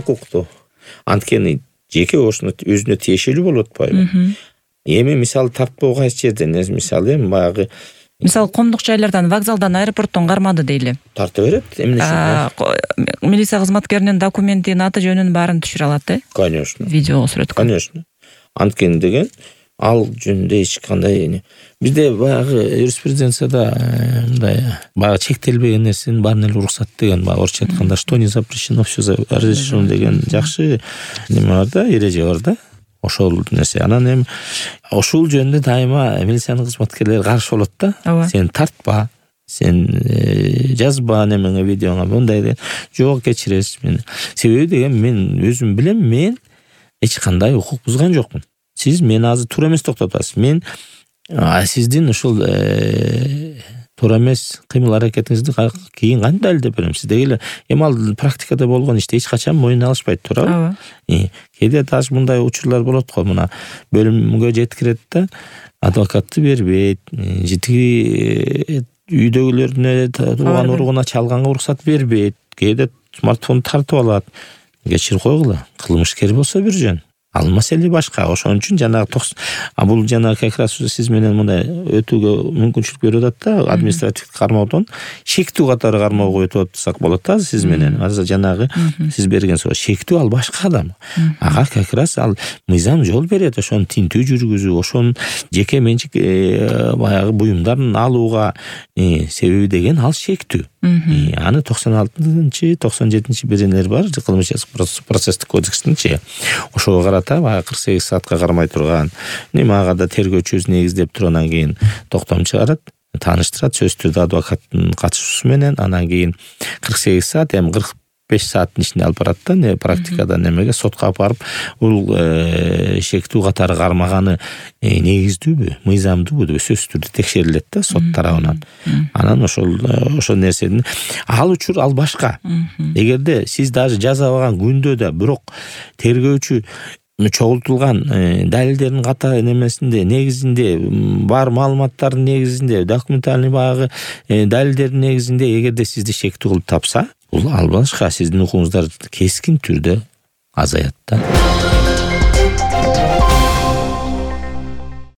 укуктуу. Анткени жеке ошону өзүнө тиешелүү болуп атпайбы? Эми мисалы тартпоо кайсы жерден, мисалы баягы мисалы коомдук жайлардан, вокзалдан, аэропорттон кармады дейли. Тарта берет. Эмне үчүн? Милиция кызматкеринин документин, аты жөнүн баарын түшүрө алат, Конечно. Видеого сүрөткө. Конечно. Анткени деген ал жөнүндө эч кандай бизде баягы юриспруденцияда мындай баягы чектелбеген нерсенин баарын эле уруксат деген, баягы орусча айтканда что не запрещено, все разрешено деген жакшы неме бар да, эреже бар да. Ошол нерсе. Анан эми ошол жөнүндө дайыма милициянын кызматкерлери каршы болот да. Сен тартпа, сен жазба немеңе, видеоңа мындай жок кечиресиз мени. Себеби деген мен өзүм билем, мен эч кандай укук бузган жокмун. Сиз мени азыр туура эмес токтотасыз. Мен сиздин ушул туура эмес кыймыл аракетиңизди кийин кантип далилдеп берем? Сиз дегеле эми ал практикада болгон ишти эч качан мойнуна алышпайт, туурабы? Кээде даже мындай учурлар болот го, мына бөлүмгө жеткирет да, адвокатты бербейт, житиги үйдөгүлөрүнө тууган уругуна чалганга уруксат бербейт, кээде смартфон тартып алат. Кечирип койгула, кылмышкер болсо бир жөн. Ал маселе башка. Ошон үчүн жанагы бул жанагы как раз сиз менен мындай өтүүгө мүмкүнчүлүк берип атат да, административдик кармоодон шектүү катары кармоого өтүп атсак болот да сиз менен. Азыр жанагы сиз берген соо шектүү, ал башка адам. Ага как раз ал мыйзам жол берет ошону тинтүү жүргүзүү, ошонун жеке менчик баягы буюмдарын алууга. Себеби деген ал шектүү. Аны 96-97 беренелер бар, кылмыш процесстик кодекстинчи. Ошого карата баягы 48 саатка кармай турган, ага да тергөөчүбүз негиздеп туруп анан кийин токтом чыгарат, тааныштырат сөзсүз түрдө адвокаттын катышуусу менен, анан кийин 48 саат, эми 45 сааттын ичинде алып барат да, практикада немеге, сотко алып барып, бул шектүү катары кармаганы негиздүүбү, мыйзамдуубу деп сөзсүз түрдө текшерилет да сот тарабынан. Анан ошол нерседин ал учур ал башка. Эгерде сиз даже жазабаган күндө да бирок тергөөчү чогултулган далилдердин ката немесинде негизинде, бар маалыматтардын негизинде, документальный баягы далилдердин негизинде эгерде сизди шектүү кылып тапса, бул ал башка, сиздин укугуңуздар кескин түрдө азаят да.